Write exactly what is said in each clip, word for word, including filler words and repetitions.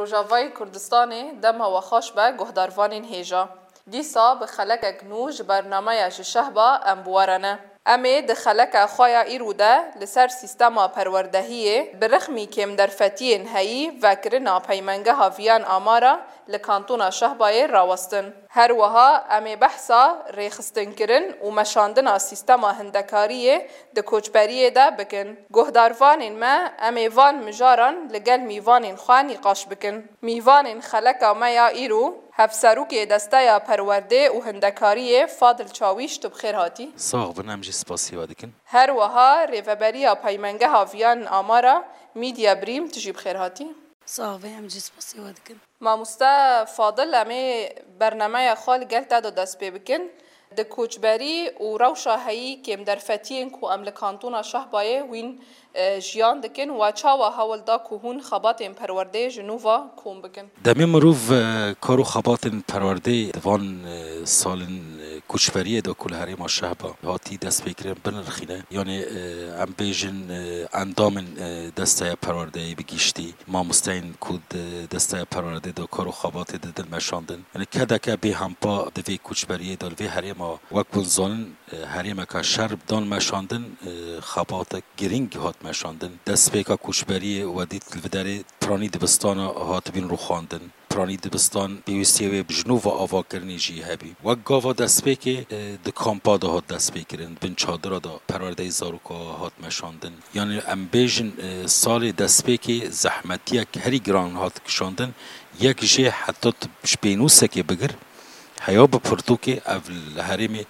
Rojavayê Kurdistanê dema we xweş be guhdarvanên hêja. Dîsa bi xelekek nû ji bernameya Ji Şehba em bi we re ne. Em ê di xeleka xwe ya îro de li ser sîstema perwerdehiyê bi rixmî kêmderfetiyên heyî vekirina Peymengeha Viyan Amara li Kantona Şehbayê rawestin. Her wiha em ê behsa rêxistinkirin û meşandina sîstema hindekariyê di koçberiyê de bikin. Guhdarvanên me, em ê van mijaran li gel mîvanên xwe nîqaş bikin. Mîvanên xeleka me ya îro, Hevserokê Desteya Perwerdê û Hindekariyê Fadil Çawîş, tu bi xêr hatî. Sax bin, em jî spasî we dikin. Her wiha Rêveberiya Peymengeha Viyan Amara, Mîdya Brîm, tu jî bi xêr hatî. Sax be, em jî spasî we dikin. Mamoste Fadil, em ê bernameya xwe li gel te de dest pê bikin. Di koçberî û rewşa heyî kêmderfetiyên ku em li Kantona Şehbayê wîn, e, jiyan dikin, we çawa hewl da ku hûn xebatên perwerdeyê ji nû ve kom bikin? Demê mirov, e, kar û xebatên perwerdeyê di van, e, salên, e, koçberiyê de ku li herêma Şehba hatî destpêkirin binirxîne. Yanî, e, em bêjin, e, endamên, e, desteya perwerdeyê bi giştî, mamosteyên ku di desteya perwerdê de kar û xebatê didin meşandin. Yanî kedeke bêhempa di vê koçberiyê de li vê herêma, wek hûn zanin, e, herêmeke şer dan meşandin, e, xebatek girîng hat meşandin. Destpêka koçberiyê we dît li vê derê piranî dibistana hatibîn rûxandin. Piranî dibistan pêwîstiyê wê ji nû ve avakirinê jî hebî. Wek gava destpêkê, e, di kampa de hat destpêkirin, bin çadira de perwerdeyê zaroka hat meşandin. Yanî em bêjin, e, salê destpêkê zehmetiyek herî giran hat kişandin. Yek jê heta tu ji pênûsekê bigir, heya bi pirtûkê ev li herêmê,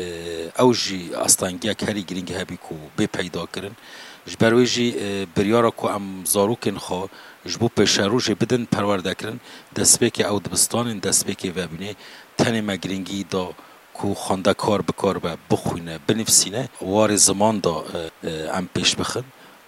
e, ew jî astengiyek herî girîng hebî ku bê peyda kirin. Ji ber wê jî, e, biryara ku em zarokên xwe ji bo pêşerojê bidin perwerdekirin, destpêkê ew dibistanên destpêkê vebûnê tenê me girîngî da ku xwendekar bikaribe bixwîne, binivîsîne, warê ziman da, e, e, em pêş bixin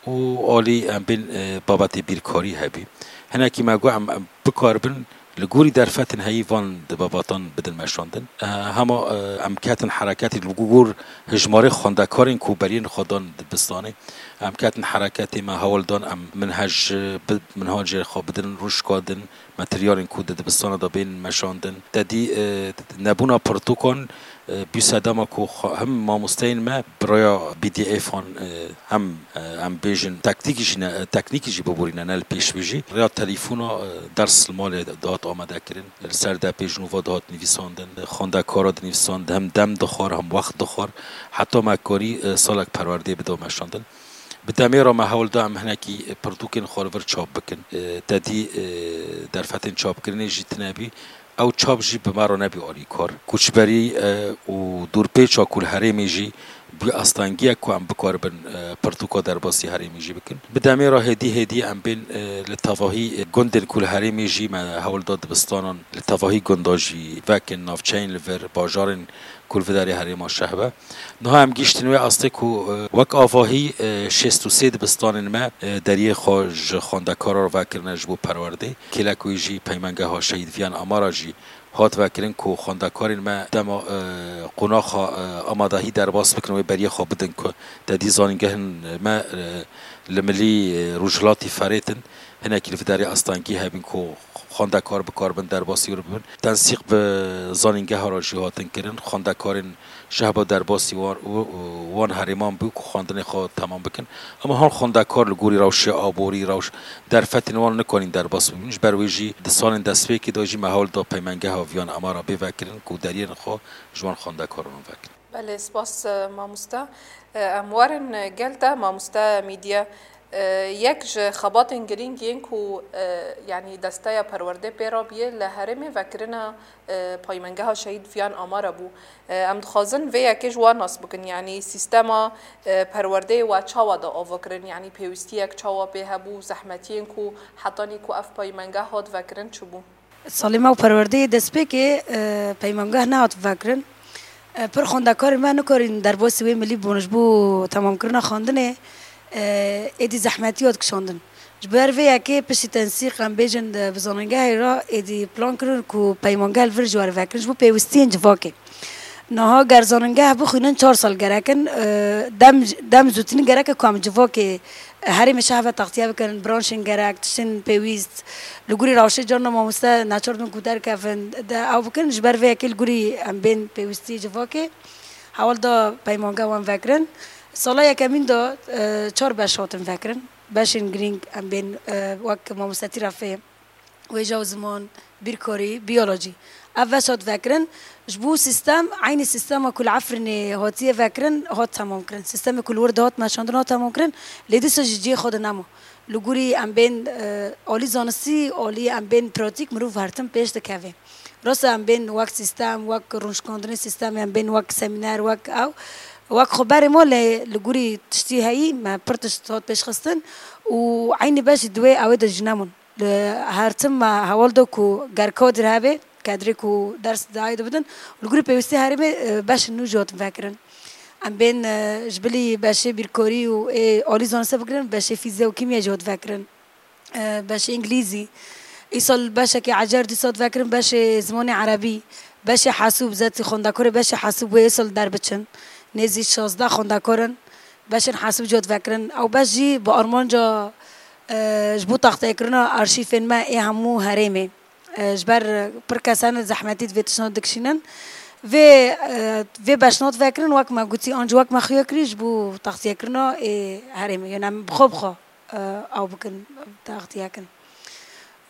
û alî em bên, e, babetê bîrkarî hebî. Hinekî me got em, em bikaribin li gorî derfetên heyî van di babatan bidin meşandin. E, hema, e, em ketin hereketê li gor hijmarê xwendekarên ku beriyên xwe dan dibistanê. Em ketin hereketê, me hewl dan em minhej, e, bi, minhacê xwe bidin rûşka din. Materyalên ku di dibistana de bên meşandin. Te dî, e, nebûna pirtûkan, e, bû sedema ku xwe-, hem mamosteyên me bi rêya B D F an, e, hem, e, em bêjin teknîkî jî ne, teknîkî jî biborîne, ne li pêş ve jî. Rêya telefona, e, ders li malê dihat amade kirin. Li ser depê ji nû ve dihat nivîsandin. Xwendekara dinivîsand, hem dem dixwar, hem wext dixwar. Heta me karî, e, salek perwerdê bida meşandin. Bi demê re me hewl da em hinekî pirtûkên xwe li vir çap bikin. E, te dî, e, derfetên çapkirinê jî tune bî. Ew çap jî bi me re nebî alîkar. Koçberî, e, û dûrpêça ku li herêmê jî bû astengiyek ku em bikaribin, e, pirtûka derbasî herêmê jî bikin. Bi demê re hêdî hêdî em bên, e, li tevahî, e, gundên ku li herêmê jî me hewl da dibistanan li tevahî gunda jî vekin, navçeyên li vir, bajarên ku li vê derê herêma Şehbe. Niha em gihiştin wê astê ku, e, wek avahî, e, şêst û sê dibistanên me, e, deriyê xwe ji xwendekaran re vekirine ji bo perwerdê. Kêlek wê jî Peymengeha Şehîd Viyan Amara jî hat vekirin ku xwendekarên me dema, e, qonaxa, e, amadehî derbas bikin wê beriyê xwe bidin ku te dî zanîngehên me, e, li milî, e, rojhilatî ferêtin. Hinekî li vê derê astengî hebin ku xwendekar bikaribin derbasî wê bibin. Tensîq bi zanîngeha re jî hatin kirin. Xwendekarên Şehba derbasî wan, wan herêman bû ku xwendinê xwe temam bikin. Ema han xwendekar li gorî rewşê aborî, rewş derfetên wan nikanîn derbas bibin. Ji ber wê jî di salên destpêkê de jî me hewl da Peymengeha Viyan Amara bê vekirin ku deriyên xwe ji wan xwendekaran vekin. Belê, spas, e, mamoste. E, em werin, e, gel te, mamoste Mîdye. E, yek ji xebatên girîng yên ku, e, yanî desteya perwerdê pê re bûye li herêmê vekirina, e, paymengeha Şehîd Viyan Amara bû. E, em dixwazin vê yekê ji we nas bikin, yanî sîstema, e, perwerdeyê we çawa da ava kirin, yanî pêwîstiyek çawa pê hebû, zehmetiyên ku hetanî ku ev paymengeh hat vekirin çi bû? Salê me û perwerdeyê destpêkê, e, peymangeh nehat vekirin. E, pir xwendekarên me nikarîn derbasî wê milî bûn ji bo temamkirina xwendinê, e, êdî zehmetî hat kişandin. Ji ber vê yekê piştî tensîq em bêjin, e, bi zanîngehê re êdî plan kirin ku peymangeh li vir ji we re vekirin ji bo pêwistiyên civakê. Niha ger zanîngeh bixwînin çar sal gerek in, e, dem, dem zûtinî gerek e ku em civakê herêmê şehve taxtiye bikin, branşên gerek, tiştên pêwîst, li gorî rewşê carna mamoste neçar dibin ku derkevin, de ew bikin, ji ber vê yekê li gorî em bên pêwîstî civakê, hewl da peymange wan vekirin. Sala yekemîn de, e, çar beş hatin vekirin. Beşên girîng em bên, e, wek mamostetî re fêm. Wêje û ziman, bîrkarî, biyolojî. Ev beş hat vekirin, ji bo sîstem, eynî sîstema ku li Efrînê hatiye vekirin, hat temamkirin. Sîstemê ku li wir de hat meşandin, hat temamkirin, lê dîsa ji cihê xwe de nema. Li gorî em bên, e, alî zanistî, alî em bên pratîk, mirov her tim pêş dikeve. Rast e, em bên wek sîstem, wek rûnişkandinê sîstemê, em bên wek semîner, wek ew, wek xwe berê ma, lê li gorî tiştî heyî, me pir tişt hat pêşxistin û eynî beş jî di wê ewê de jî neman. Li her tim me hewl da ku ger kadir hebe, kedrê ku ders dayê dibidin, li gorî pêwîstî herêmê, e, beşên nû jî hatin vekirin. Em bên, e, ji bilî beşê bîrkarî û ê alî zaniste bigirin, beşê fîzya û kîmya jî hat vekirin. E, beşê îngilîzî. Îsal beşekê ecer dîsa hat vekirin, beşê zimanê erebî, beşê hesûb, zetî xwendekarê beşê hesûb wê îsal derbiçin. Nêzî şazdeh xwendekar in, beşên hesûb jî hat vekirin. Ew beş jî bi armanca, e, ji bo taxteyekirina arşîfên me ê hemû herêmê. E, ji ber pir kes hene zehmetî di vê tiştan dikişînin. Vê, e, vê beşnat vekirin, wek me gotî, an jî wek me xuya kirî ji bo taxtiyekirina ê herêmê. Yanî em bi xwe bi xwe, e, ew bikin, taxtiyekin.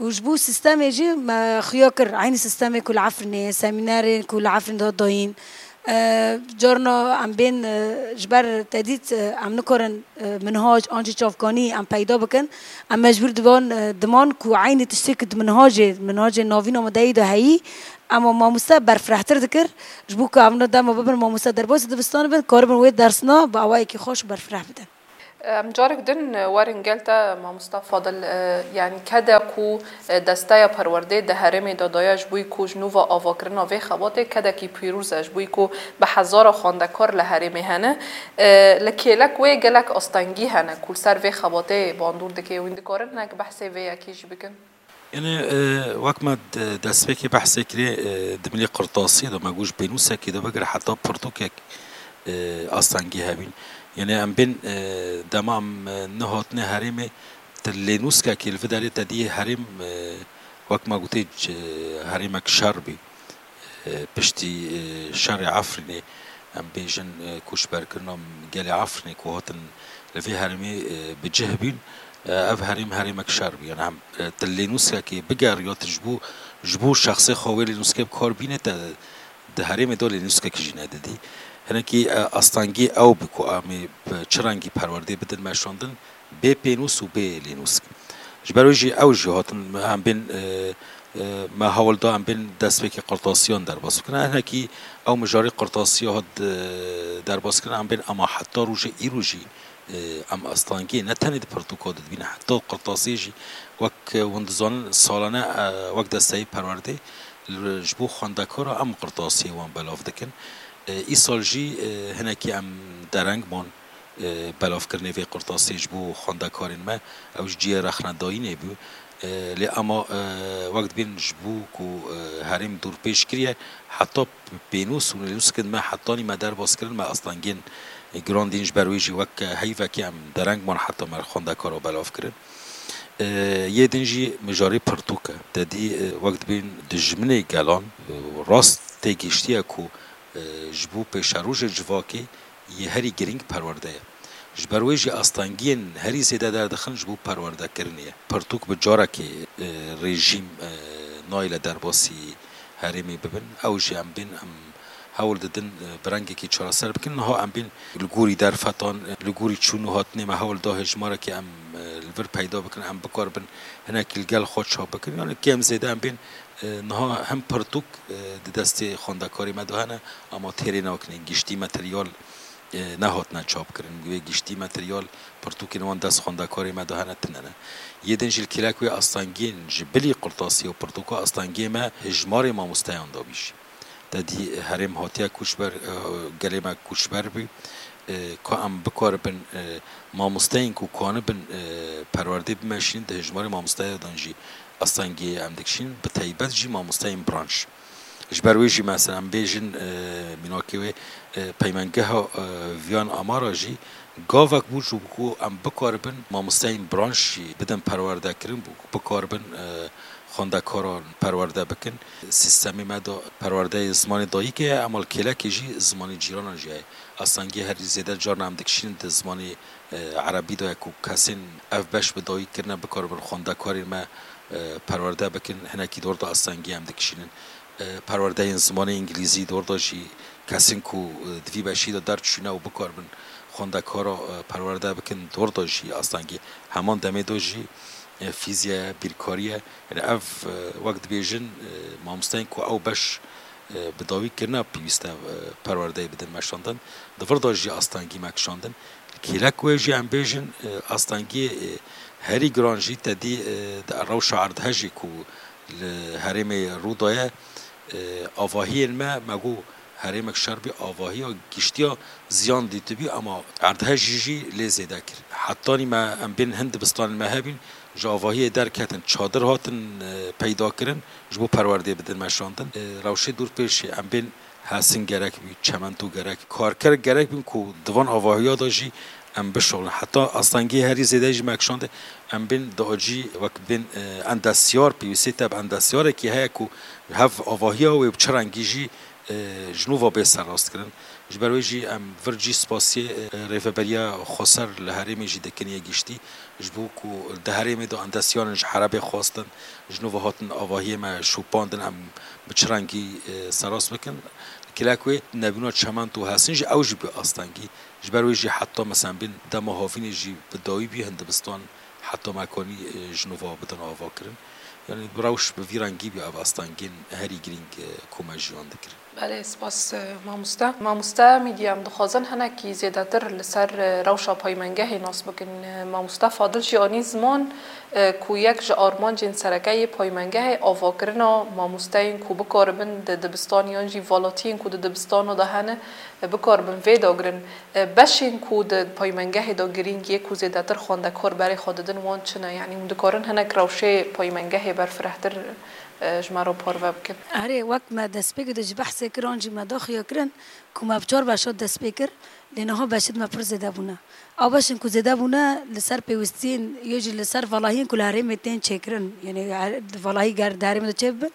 Û ji bo sîstemê jî me xuya kir. Eynî sîstemê ku li Efrînê, semînerên ku li Efrîn de dayîn. E, carna em bên, e, ji ber te dît, e, em nikarin, e, minhac an jî çavkanî em peyda bikin. Em mecbûr diban, e, diman ku eynî tiştê ku di minhacê, minhacê navîn amadeyî de heyî, ema mamoste berfirehtir dikir. Ji bo ku evna dema bibin mamoste derbasî dibistanê bin, karibin wê dersna bi awayekî xweş û berfireh bidin. Em carek din werin gel te, mamosta Fadil, e, yanî kede ku, e, desteya perwerdê di herêmê de daye ji bo ku ji nû ve avakirina vê xebatê kedekî pîroz e, ji bo ku bi hezara xwendekar li herêmê hene. E, li kêlek wê gelek astengî hene ku li ser vê xebatê bandor dike, hûn dikarin hinek behsê vê yekê jî bikin? Yanî, e, wek me de-, destpêkê behsê kirê, e, di milê qirtasiyê de me got ji pênûsekê de bigir heta pirtûkek, e, astengî hebîn. Yanî em bên, e, dema em, e, nehatine herêmê, tu lênûskekê li vê derê te diyê herêm, e, wek me gotê, c-, herêmek şer bî. E, piştî, e, şerê Efrînê, em bêjin, e, koçberkirina gelê Efrînê ku hatin li vê herêmê, e, bi cih bîn, e, ev herêm herêmek şer bû. Yanî em, e, tu lênûskekê bigeriya, tu ji bo, ji bo şexsê xwe wê lênûskê bi kar bînê, te di herêmê de lênûskekî jî nedidî. Hinekî, e, astengî ew bû ku em ê bi çi rengî perwerdê bidin meşandin, bê pênûs û bê lênûsk. Ji ber wê jî ew jî hatin, em bên, e, e, me hewl da em bên destpêkê qirtasiyan derbas bikin. Hinekî ew mijarê qirtasiya hat, e, derbas kirin, em bên ema heta roja îro jî, e, em astengiyê ne tenê di pirtûka de dibînin, heta qirtasiyê jî wek, e, hûn dizanin salane, e, wek desteyê perwerdê li, ji bo xwendekara em qirtasiyê wan belav dikin. E, îsal jî, e, hinekî em dereng man, e, belavkirinê vê qirtasê ji bo xwendekarên me, ew ji cihê rexnedayînê bû. E, lê ema, e, wek dibên ji bo ku, e, herêm dorpêç kiriye, heta pênûs û lênûskên me hetanî me derbas kirin, me astengên giran dîn, ji ber wê jî wek heyvekê em dereng man heta me xwendekara belav kirin. E, yê din jî mijarê pirtûk e. Te dî, e, wek dibên dijminê gelan, e, rast tê giştiye ku, e, ji bo pêşerojê civakê yê herî girîng perwerde ye. Ji ber wê jî astengiyên herî zêde derdixin ji bo perwerdekirinê ye. Pirtûk bi carekê, e, rejîm, e, nayêle derbasî herêmê bibin. Ew jî em bên, em hewl didin, e, bi rengekî çareser bikin. Niha em bên li gorî derfetan, e, li gorî çûn û hatinê me hewl da hejmarekê em, e, li vir peyda bikin, em bikaribin hinekî li gel xwe çap bikin. Yanî kêm zêde em bên, e, niha hem pirtûk, e, di destê xwendekarê me de hene, ama têrê nakinên giştî materyal, e, nehatine çapkirin. Wê giştî materyal pirtûkên wan dest xwendekarê me de hene, tune ne. Yê din jî li kêlek wê astengiyên ji bilî qirtasî û pirtûka astengiyê me hejmarê mamosteyan dabî jî. Te dî herêm hatiye koçber, e, gelê me koçber bû. E, ka em bikaribin, e, mamosteyên ku kanibin, e, perwerdê bimeşînin, di hejmarê mamosteya dan jî astengiyê em dikişînin, bi taybet jî mamosteyên branş. Ji ber wê jî mesela em bêjin, e, mînakê wê, e, peymengeha, e, Viyan Amara jî gavek bû ji bo ku em bikaribin mamosteyên branş jî bidin perwerdekirin, bo ku bikaribin, e, xwendekaran perwerde bikin. Sîstemê me de perwerdeyê zimanê dayikê heye, ema li kêlekê jî zimanê cîranan jî heye. Astengiyê herî zêde carna em dikişînin di zimanê, e, erebî de ye ku kesên ev beş bi dawî kirine bikaribin xwendekarên me, e, perwerde bikin, hinekî dor de astengiyê em dikişînin. E, perwerdeyên zimanê îngilîzî dor de jî kesên ku, e, di vî beşî de derdiçûne û bikaribin xwendekara, e, perwerde bikin dor de jî astengiyê. Heman demê de jî, e, fîzya ye, bîrkarî ye. Yani ev, e, wek dibêjin, e, mamosteyên ku ew beş, e, bi dawî kirine pêwîst e, e, perwerdeyê bidin meşandin. Di vir de jî astengî me kişandin. Kêlek wê jî em bêjin, e, astengiyê, e, herî giran jî te dî, e, di rewşa erdhejê ku li herêmê rû daye, e, avahiyên me, me got herêmek şer bî, avahiya giştiya ziyan dîtibî, ema erdhejî jî lê zêde kir. Hetanî me em bên hin dibistanên me hebîn, ji avahiyê derketin, çadir hatin, e, peyda kirin, ji bo perwerdê bidin meşandin. E, rewşê dûr pêşê em bên Hesin gerek bî, çemento gerek, karker gerek bin ku di van avahiya de jî em bişuxulin. Heta astengiyê herî zêde jî me kişandê, em bên di acî wek bên, e, endesyar, pêwîstî te bi endesyarekî heye ku hev avahiya wê bi çi rengî jî, e, ji nû ve bê serrastkirin. Ji ber wê jî em vir cî spasiyê, e, Rêveberiya Xweser li herêmê jî dikin yê giştî, ji bo ku di herêmê de endesyaran ji erebê xwestin, ji nû ve hatin avahiyê me şopandin, em bi çi rengî, e, serast bikin. Kêlek wê nebûna çement û hesin jî ew jî bi astengî. Ji ber wê jî heta mesela bên dema havînê jî bi dawî bî hin dibistan heta me kanî, e, ji nû ve bidin avakirin. Yani bi rewş bi vî rengî bî ev astengên herî girîng, e, ku me jiyan dikirin. Belê, spas, e, mamoste. Mamoste Mîdya, em dixwazin hinekî zêdetir li ser, e, rewşa paymengehê nas bikin. E, mamoste Fadil jî anî ziman, e, ku yek ji armancên sereke yê paymengehê avakirina mamosteyên ku bikaribin di dibistan yan jî valatiyên ku di dibistana de hene, e, bikaribin vê dagirin. E, beşên ku di paymengehê de girîng yê ku zêdetir xwendekar berê xwe didin wan çi ne? Yanî hûn dikarin hinek rewşê paymengehê berfirehtir, e, ji me re parve bikin? Erê, wek me destpêkê de jî behsê kir, an jî me daxuya kirin ku me bi çar beşa dest pê kir, lê niha beşê di me pir zêde bûne. Ew beşên ku zêde bûne li ser pêwîstiyên, yê jî li ser valahiyên ku li herêmê tên çêkirin, yanî her-, valahî ger di herêmê de çêbibin.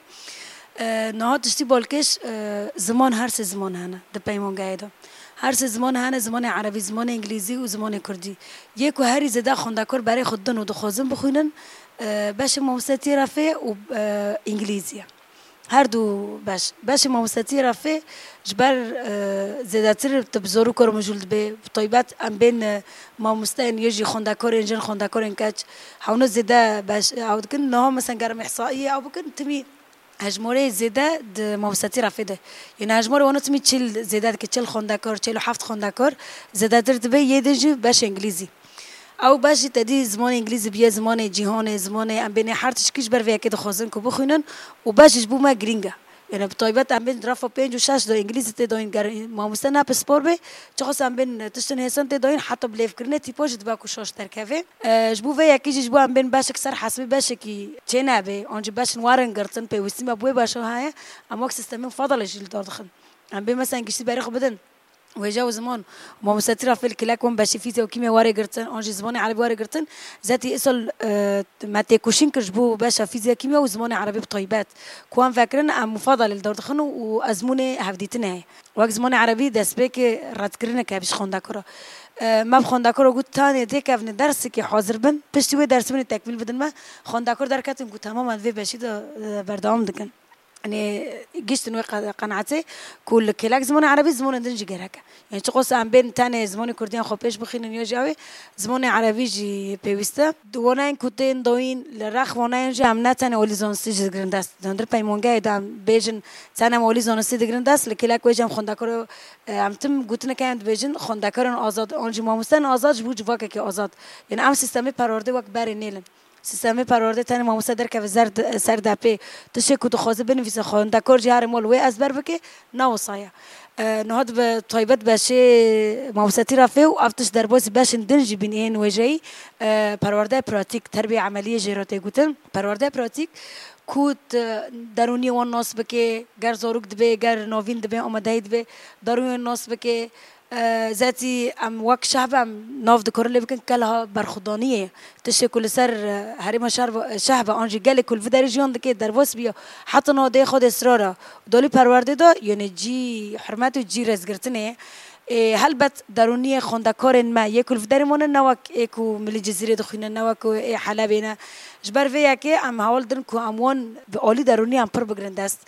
E, niha tiştî balkêş, e, ziman, her sê ziman hene di peymangehê de. Her sê ziman hene, zimanê erebî, zimanê îngilîzî û zimanê kurdî. Yê ku herî zêde xwendekar berê xwe didin û dixwazin bixwînin, e, beşê mamostetiyê refê û, e, îngilîzî ye. Her du beş. Beşê mamostetiyê refê ji ber, e, zêdetir tu bi zor û kar mijûl dibê. Bi taybet em bên, e, mamosteyên yê jî xwendekarên jin, xwendekarên keç, hewno zêde beş, ew dikin. Niha mesela ger em îhsaiyê ew bikin, timî hejmarê zêde di mamostetî refê de. Yanî hejmarê wana timî çil zêde dike, çil xwendekar, çil û heft xwendekar, zêdetir dibe yê din jî beş îngilîzî. Ew beş jî te dî zimanê îngilîzî biye zimanê cîhanê, zimanê em bênê her tişkî ji ber vê yekê dixwazin ku bixwînin û beş jî ji bo me girîng e. Yanî bi taybet em bên refa pênc û şeş de îngilîzî tê dayîn, ger mamoste ne pispor bê, çiqas em bên tiştin hêsan tê dayîn, heta bi lêvkirinê tîpa jî dibe ku şaş derkeve. E, ji bo vê yekê jî ji bo em bên beşek ser hesibê beşekî çê nebe, an jî beşin werin girtin, pêwîstî me bi wê beşa heye, em wek sîstemên Fadalê jî li dar dixin. Em bên mesela giştî berê xwe bidin wêje û ziman, mamostetî refê li kêlek wan beşê fîzya û kîmya were girtin, an jî zimanê erebî were girtin, zetî îsal, e, me têkoşîn kir ji bo beşa fîzya, kîmya û zimanê erebî bi taybet. Ku em vekirin, em Fadalê li dar dixin û ezmûnê hevdîtinê heye. Wek zimanê erebî destpêkê redkirineke hebe ji xwendekara. E, me bi xwendekara got, tanê dê kevne dersekê hazir bin, piştî wê dersê min ê tekmîl bidin me. Xwendekar derketin ku temamen vê beşî de, e, berdewam dikin. Yanî giştin wê qe-, qenaetê ku li kêlek zimanê erebî zimanên din jî gerek e. Yanî çiqas em bên tenê zimanê kurdî yan xwe pêş bixînin ya jî ew ê, zimanê erebî jî pêwîst e. Di waneyên ku tên dayîn li rex waneyên jî em ne tenê alî zanistî jî digirin dest. Di hundir peymangehê de em bêjin tenê em alî zanistî digirin dest, li kêlek wê jî em xwendekar, e, em tim gotineke em dibêjin xwendekarên azad, an jî mamosteyên azad ji bo civakekî azad. Yanî em sîstemê perwerdê wek berê nêlin. Sîstemê perwerdê tenê mamoste derkeve zer de-, ser depê. Tiştê ku dixwaze binivîse, xwendekar jî here mal wê ezber bike, ne wisa ye. E, niha dibe taybet beşê mamoste Tîrafê û ev tişt derbasî beşên din jî bîn ên wêjeyî, e, perwerdeyê pratîk, terbiyê emeliyê jê re tê gotin. Perwerdeyê pratîk ku tu derûniyê wan nas bike, ger zarok dibe, ger navîn dibe, amadehî dibe, derûniyê nas bike. E, zetî em wek şehb em nav dikarin lê bikin kelha berxwedaniyê. Tiştê ku li ser, e, herêma şer ve, şehve an jî gelê ku li vî derê jiyan dike derbas biya, heta niha dê xwe dê sira re. Dalî perwerdê de, yanî cî hurmet û cî rêzgirtinê. Ê, helbet derûniyê xwendekarên me yê ku li vî derê mane ne wek ê ku milî Cizîrê dixwîne, ne wek ku ê Helebê ne. Ji ber vê yekê em hewl din ku em wan bi alî derûnî em pir bigirin dest.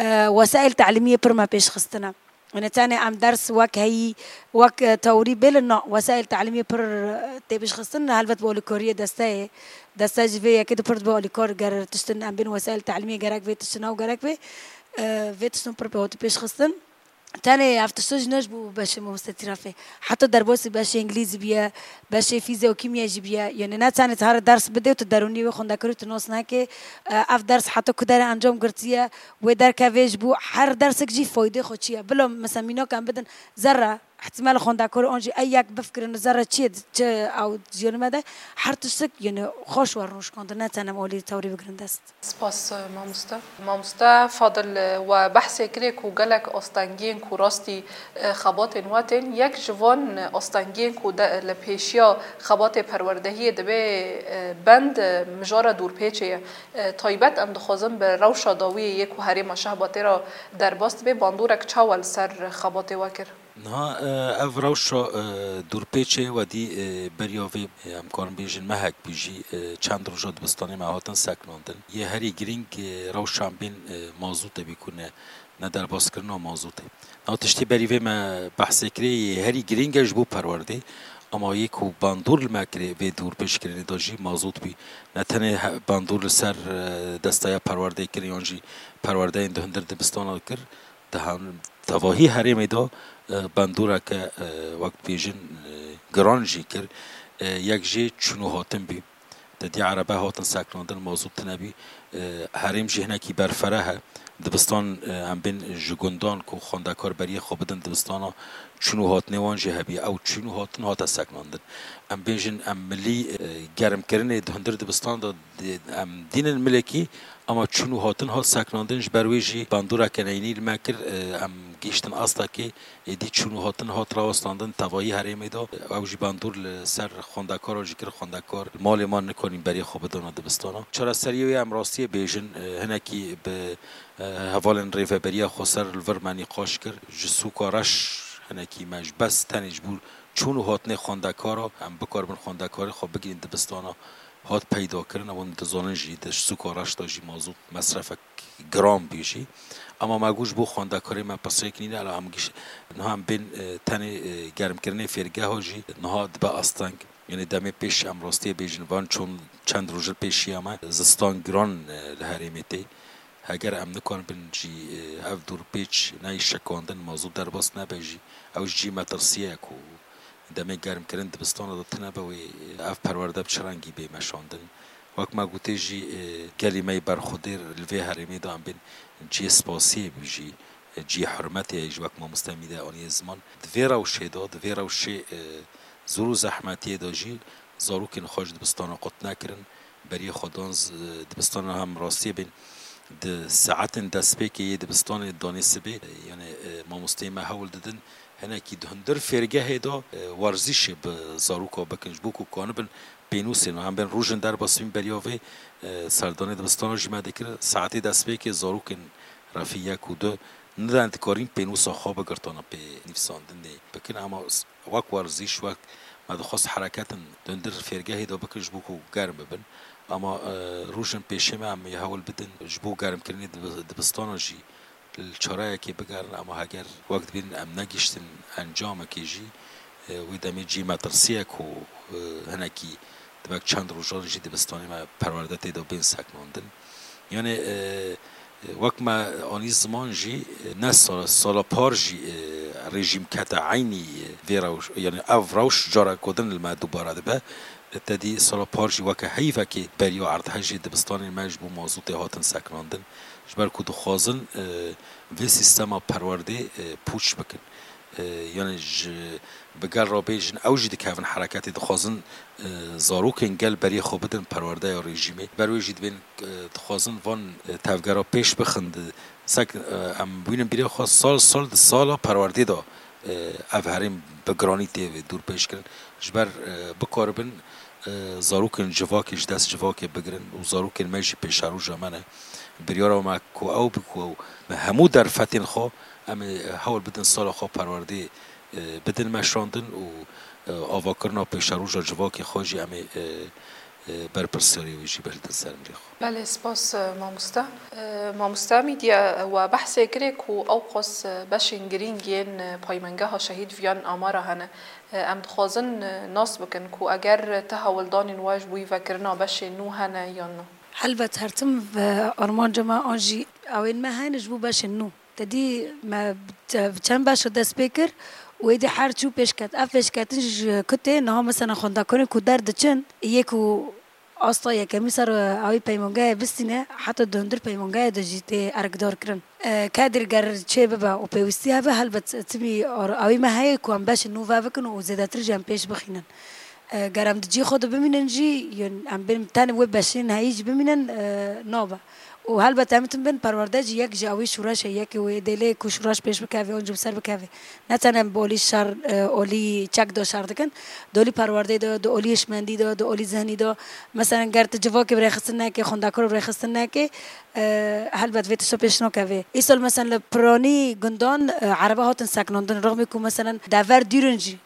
E, wesaîl telimiyê pir me pêş xistine. Yanî tenê em ders wek heyî, wek, e, teorî bêlin, na, wesaîl telimiyê pir, e, tê pêş xistin, helbet bi alîkariyê desteyê. Deste jî vê yekê de pir dibe alîkar, ger tiştin em bên wesaîl telimiyê gerek vê tiştin ew gerek vê, e, vê tiştin pir pê hatî pêş xistin. Tenê ev tişto jî ne ji bo beşê mamoste Tîrafê. Heta derbasî beşê îngilîzî biye, beşê fîzya û kîmya jî biye. Yanî ne tenê tu here ders bidê û tu derûnî wê xwendekarî tu nas neke. E, ev ders heta ku derê encam girtiye, wê derkevê ji bo her dersek jî faydê xwe çi ye. Bila mesela mînak em bidin zerre, ihtimal xwendekarê an jî ey yek bifikirin zerre çi ye, çi ew jiyanê me de her tiştek, yanî xweş were rûnişkandin, ne tenê em alî teorî bigirin dest. Spas, mamoste. Mamoste Fadil, we behsê kirê ku gelek astengiyên ku rastî, e, xebatên we tên, yek ji van astengiyên ku de, li pêşiya xebatê perwerdehiyê dibe, e, bend, e, mijara dûrpêçê ye. E, taybet em dixwazin bi rewşa dawiyê yê ku herêma şehba tê re derbas dibe, bandorek çawa li ser xebatê we kir? Niha, e, ev rewşa, e, dûrpêçê wedî, e, beriya vê, e, em karin bêjin mehek bû jî, e, çend roja dibistanê me hatin seknandin. Yê herî girîng, e, rewşa em bên, e, mazûtê bî ku ne, ne derbaskirina mazûtê. Niha tiştê berî vê me behsê kirê, yê herî girîng e ji bo perwerdê. Ama yê ku bandor li me kirê vê dûrpêçkirinê de jî mazût bî. Ne tenê he-, bandor li ser, e, desteya perwerdê kir, yan jî perwerdeyên di hundir dibistana kir, di han-, tevahî herêmê de, e, bandoreke, e, wek dibêjin, e, giran jî kir. E, yek jê çûn û hatin bî. Di dî erebe hatin seknandin, mazût tune bî. E, herêm jî hinekî berfereh e. Dibistan, e, em bên ji gundan ku xwendekar beriyê xwe bidin dibistana, çûn û hatinê wan jî hebî. Ew çûn û hatin hate seknandin. Em bêjin em milî, e, germkirinê di hundir dibistan de di-, em dînin milekî, ama çûn û hatin hat seknandin, ji ber wê jî bandoreke neyînî li me kir, e, em gihîştin astekê, êdî çûn û hatin hat rawestandin tevayî herêmê de. Ew jî bandor li ser xwendekara jî kir, xwendekar malê man nikanîn berê xwe bidana dibistana. Çareseriyê wê em rastiyê bêjin, e, hinekî bi, e, hevalên Rêveberiya Xweser li vir me nîqaş kir. Ji sûka reş hinekî me ji bes tenê ji bo çûn û hatinê xwendekara, em bikaribin xwendekarê xwe bigihînin dibistana, hat peyda kirin. Ew hûn dizanin jî di sûka reş de jî mazût mesrefek giran bû jî. Ema me got ji bo xwendekarê me pirsêk nîne, ela em giş-, niha em bên, e, tenê, e, germkirinê fêrgeha jî niha dibe asteng. Yanî demê pêş em rastiyê bêjin van çond, çend roj li pêşiya me zistan giran, e, li herêmê tê. Heger em nikaribin jî, e, ev dûrpêç neyê şikandin, mazût derbas nebe jî, ew ji cî metirsiyê ye ku demê germkirin dibistana de tune be wê, e, ev perwerde bi çi rengî bê meşandin. Wek me gotê jî, e, gelî me yê berxwedêr li vê herêmê de em bên cihê spasiyê bû jî, e, cihê hurmetê ye jî wek mamoste Mîde aniye ziman. Di vê rewşê de, di vê rewşê, e, zor û zehmetiyê de jî zarokên xwe ji dibistana qut nekirin. Beriyê xwe dan z-, dibistana hem rastiyê bên di saetên destpêkê yê dibistanê danê sibê, yanî, e, mamosteyê me hewl didin hinekî di hundir fêrgehê de, e, werzîşê bi zaroka bikin ji bo ku kanibin pênûsên û em bên rojên derbas bîn beriya vê, e, serdanê dibistana jî me dikir saetê destpêkê zarokên refî yek û du nidin dikarîn pênûsa xwe bigirtana pê nivîsandinê bikin, ema s-, wek werzîş, wek me dixwest hereketin di hundir fêrgehê de bikin ji bo ku germ bibin. Ama, e, rojên pêşê me em ê hewl bidin ji bo germkirinê dibi-, dibistana jî li çareyekê bigerin, ama heger wek dibînin em negihiştin encamekê jî, e, wê demê cî metirsiyek û, e, hinekî dibek çend rojan jî dibistanê me perwerde tê de bên seknandin. Yanî, e, wek me anî ziman jî, e, ne sal-, sala par jî, e, rejîm kete eynî, e, vê rewş-, yanî ev rewş careke din li me dubare dibe. Te dî sala par jî weke heyvekê beriya erdhejê dibistanên me ji bo mazotê hatin sekinandin. Ji ber ku dixwazin, e, vê sîstema perwerdê, e, pûç bikin. E, yani ji, bi gel re bêjin, ew jî dikevin hereketê, dixwazin, e, zarokên gel beriyê xwe bidin perwerdeya rejîmê. Ber wê jî dibên, e, dixwazin van, e, tevgera pêş bixin. Di, sek, e, em bînin bîrê xwe sal, sal di sala perwerdê de, e, ev herêm bi giranî tê dûr pêş kirin. Ji ber, e, bikaribin, e, zarokên civakê ji dest civakê bigirin û zarokên me jî pêşeroja me ne. Biryara me ku ew bi ku ew bi hemû derfetên xwe em ê hewl bidin sala xwe perwerdê, e, bidin meşandin û, e, avakirina pêşeroja civakê xwe jî em ê, e, e, berpirsiyarê wê jî berdin ser milê xwe. Belê, spas, e, mamoste. E, mamoste Mîdya, we behsê kirê ku ew qas, e, beşên girîng yên, e, paymengeha şehîd viyan amara hene. E, em dixwazin, e, nas bikin ku eger ti hewldanên we ji bo vekirina beşên nû hene yan na? Helbet her tim ve armanca me an jî ewên me hene ji bo beşên nû. Te dî me bi çend beşa dest pê kir û êdî her çû pêş ket. Ev pêşketin ji ku tê niha mesela xwendekarên ku derdiçin, yê ku asta yekemî ser, e, awî peymangehê bistîne, heta di hundir peymangehê de jî tê erkdar kirin. E, kedr ger çê bibe û pêwîstî hebe, helbet timî ar-, awî me heye ku em beşên nû vebikin û zêdetir jî em pêş bixînin. E, ger em di cî xwe de bimînin jî, yên em bên tenê wê beşên heyî jî bimînin, e, nabe. Û helbet em tim bin perwerde jî yek ji awî şûreş e, yekê wê dê lê ku şûreş pêş bikeve, an jî bi ser bikeve. Ne tenê em bi olî şer, e, olî çek de şer dikin, di olî perwerdê de, di olî hişmendî de, di olî zihnî de. Meselen, ger tu civakê bi rêxistin neke, xwendekar bi rêxistin neke, e, helbet vê tişta pêş nakeve. Îsal meselen li piranî gundan, e, erebe hatin sekinandin, rexmê ku meselen dever dûr in jî.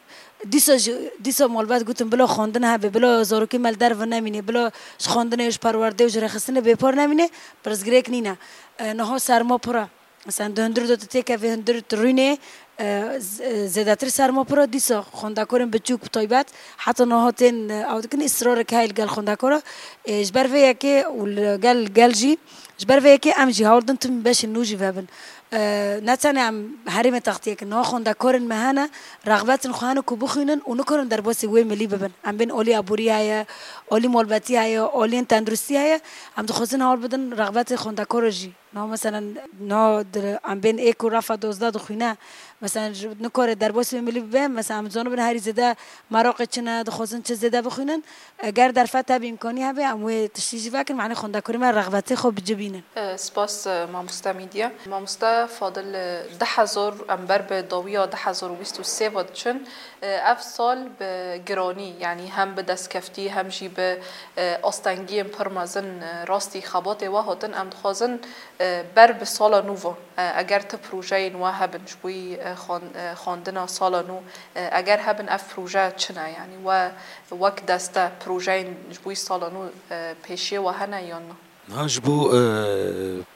Dîsa jî, dîsa malbat gotin bila xwendin hebe, bila zarokê me li derve nemîne, bila ji xwendinê, ji perwerdê û ji rêxistinê bêpar nemîne, pirsgirêk nîne. E, niha serma pir e. Mesela di hundir de tu têkevê, hundir tu rûnê, e, z-, e, zêdetir serma pir e, dîsa xwendekarên biçûk bi taybet, heta niha tên, e, ew dikin, îsrarek heye li gel xwendekara. E, ji ber vê yekê û li gel gel jî, ji ber vê yekê em jî hewl din tim beşên nû jî vebin. E, ne tenê em herêmê textiyê kin, niha xwendekarên me hene, rexbetin xwe hene ku bixwînin û nikarin derbasî wê milî bibin. Em bên olî aborî heye, olî malbetî heye, oliyên tenduristî heye, em dixwazin hewl bidin rexbetê xwendekara jî. Niha meselen, niha di, em bên ê ku refa dozdeh dixwîne, meselen, ji, nikare derbasî wê milî bibe, meselen, em dizanibin herî zêde meraqê çi ne, dixwazin çi zêde bixwînin. Eger derfet hebe, îmkanî hebe, em wê tiştî jî vekin, manê xwendekarê me rexbetê xwe bi ci bînin. E, spas, e, mamoste Mîdya. Mamoste Fadil, e, du hezar, em ber bi dawiya du hezar û bîst û sê ve diçin. E, ev sal bi giranî, yanî hem bi destkeftî, hem jî bi, e, astengiyên pir mezin, e, rastî xebatê we hatin. Em dixwazin, e, ber bi sala nû ve, e, eger ti projeyên we hebin, ji bo, e, xwan-, e, xwendina sala nû, e, eger hebin, ev proje çi ne? Yanî we wek deste projeyên ji bo sala nû, e, pêşiyê we hene yan na? Niha ji bo, e,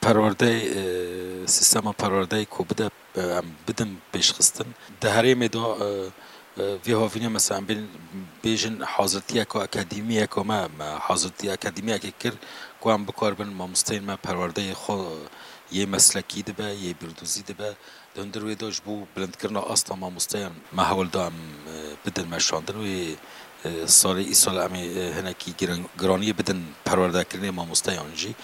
perwerdeyê, e, sîstema perwerdeyê ku bide, e, em bidin pêşxistin. Di herêmê de, e, e, vê havînê mesela em bên bêjin hazirtiyeke akademiyeke me, me hazirtiya akademiyekê kir ku em bikaribin mamosteyên me perwerdeyê xwe yê meslekî dibe, yê bîrdozî dibe. Di hundir wê de ji bo bilindkirina asta mamosteyan me hewl da em, e, bidin meşandin. Wê, e, salê îsal em ê, e, hinekî giran-, giraniyê bidin perwerdekirinê mamosteyan jî.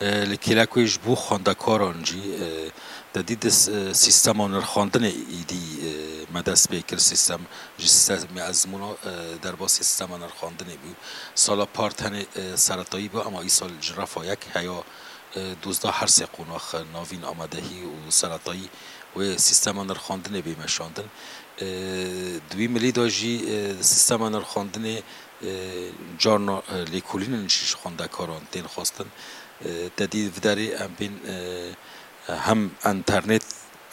E, li kêlek wê ji bo xwendekaran jî, e, te dî di s-, e, sîstema nirxandinê îdî, e, me dest pê kir, sîstem, ji sîstemê ezmûna, e, derbasî sîstema nirxandinê bû. Sala par tenê, e, seretayî bû, ema îsal ji refa yek heya, e, dozdeh her sê qonax, e, navîn, amadehî û seretayî wê sîstema nirxandinê bê meşandin. E, di wî milî de jî, e, sîstema nirxandinê, e, carna, e, lêkolînin jî ji xwendekaran tên xwestin. E, te dî viderê em bên, e, hem enternet,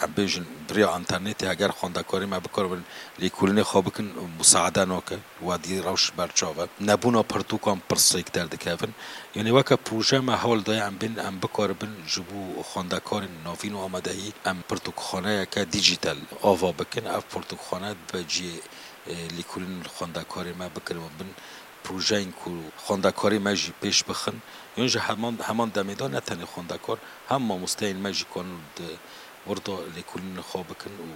em bêjin, bi riya enternetê heger xwendekarê me bikaribin lêkolînê xwe bikin, musaade nake, we dî rewş berçav e. Nebûna pirtûkan pirsêk derdikevin. Yanî weke proje me hewl daye em bên, em bikaribin ji bo xwendekarên navîn û amadehî em pirtûkxaneyeke dîjîtal ava bikin. Ev pirtûkxane dibe cihê, e, lêkolîn xwendekarê me bikin bin projeyên ku xwendekarê me jî pêş bixin. Yan ji heman, heman demê de ne tenê xwendekar, hem mamosteyên me jî kanin di wir de lêkolînên xwe bikin û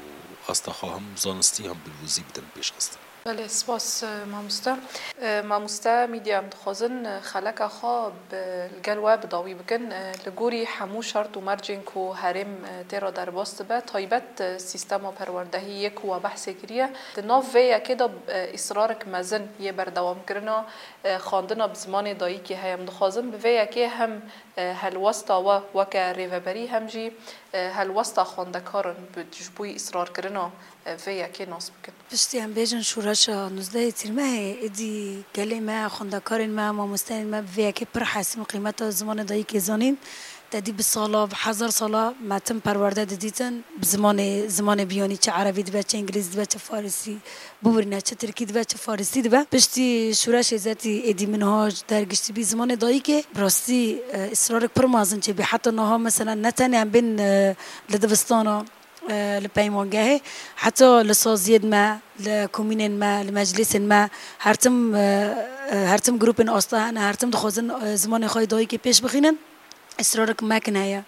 asta xwe hem zanistî hem bîrdozî bidin pêşxistin. Belê, spas, e, mamoste. E, mamoste Mîdya, em dixwazin, e, xeleka xwe bi, li gel we bi dawî bikin. E, li gorî hemû şert û mercên ku herêm, e, tê re derbas dibe, taybet, e, sîstema perwerdehî yê ku we behsê kiriye, di nav vê yekê de, e, îsrarek mezin yê berdewamkirina, e, xwendina bi zimanê dayikê heye. Em dixwazin bi vê yekê hem, e, helwesta we weke rêveberî hem jî, e, helwesta xwendekaran bi, ji bo îsrarkirina, e, vê yekê nas bikin. Piştî em bêjin şoreşa nûzdehê Tîrmehê, êdî gelê me, xwendekarên me, mamosteyên me bi vê yekê pir hesîn û qîmeta zimanê dayikê zanîn. Te dî bi sala, bi hezar sala me tim perwerde didîtin. Bi zimanê, zimanê biyanî, çi erebî dibe, çi îngilîzî dibe, çi farisî, biwirîne, çi tirkî dibe, çi farisî dibe. Piştî şoreşê zetî êdî min ha dergiştî bî zimanê dayikê. Bi rastî, e, îsrarek pir mezin çêbî. Heta niha mesela ne tenê em bên, e, li dibistana, e, li peymangehê, heta li saziyên me, li komînên me, li meclîsên me, her tim, e, e, her tim grûpên asta hene, her tim dixwazin, e, zimanê xwe yê dayikê pêş bixînin. Îsrarek mekin heye.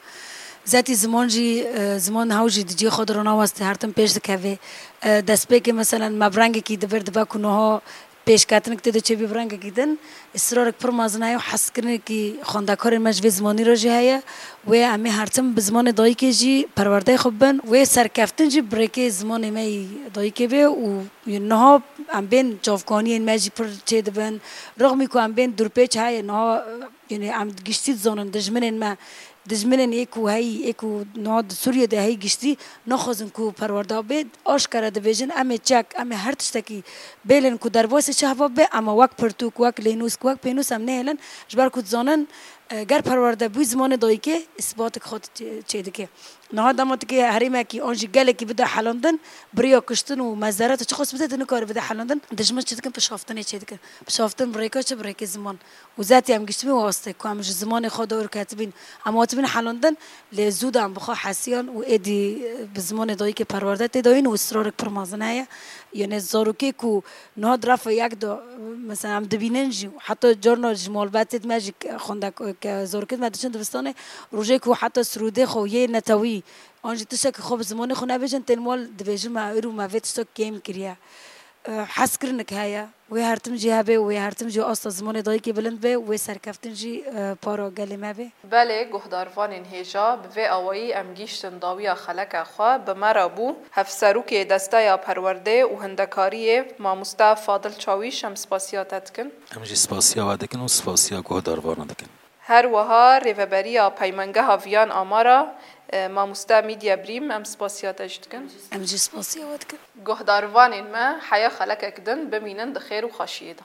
Zetî ziman jî, e, ziman hew jî di cihê xwe de ronawestê, her tim pêş dikeve. E, destpêkê meselen me bi rengekî di vir dibe ku niha pêşketinek tê de çêbî bi rengekî din. Îsrarek pir mezin heye û hezkirinekî xwendekarên me ji vê zimanî re jî heye. Wê em ê her tim bi zimanê dayikê jî perwerdeyê xwe bibin. Wê serkeftin jî bi rêkê zimanê me yî dayikê bê û niha em bên çavkaniyên me jî pir çêdibin. Rixmî ku em bên dûrpêç heye, niha, yanî em giştî dizanin dijminên me, dijminên ê ku heyî, ê ku niha di Sûriyê de heyî giştî naxwazin ku perwerde bê, aşkere dibêjin, em ê çek, em ê her tiştekî bêlin ku derbasî çi heva bibe, ema wek pirtûk, wek lênûsk, wek pênûs em nehêlin, ji ber ku dizanin, e, ger perwerde bû zimanê dayikê, îsbatek xwe çê-, çêdike. Niha dema tu kê herêmekî an jî gelekî bide helandin, bi rêya kuştin û mezeret û çi xwest bide, tu nikare bide helandin, dijmin çi dikin, pişaftinê çêdikin. Pişaftin bi rêka çi? Bi rêkê ziman. Û zetî em giştibîn wê astê ku em ji zimanê xwe dor ketibîn, em hatibîn helandin, lê zû de em bi xwe hesiyan û êdî, e, bi zimanê dayikê perwerde tê dayîn û israrek pir mezin heye. Yanê zarokê ku niha di refa yek de, mesela em dibînin jî, heta carna ji malbatê me jî ke xwendek-, ke zarokê me diçin dibistanê, rojê ku heta sirûdê xwe yê netewî, an jî tiştekî xwe bi zimanê xwe nebêjin, tên mal dibêjin me ir û me vê tiştek kêm kiriye. E, hezkirinek heye. Wê her tim jî hebe û wê her tim jî asta zimanê dayikê bilind be û wê serkeftin jî, e, para gelê me be. Belê, guhdarvanên hêja, bi vê awayî em gihîştin dawiya xeleka xwe. Bi me re bû hevserokê Desteya Perwerdê û Hindekariyê, mamoste Fadil Çawîş, em spasiya te dikin. Em jî spasiya we dikin û spasiya guhdarvanan dikin. Her wiha Rêveberiya Peymangeha Viyan Amara, e, mamoste Mîdya Brîm, em spasiya te jî dikin. Em jî spasiya we dikin. Guhdarvanên me, heya xelekek din bimînin di xêr û xweşiyê de.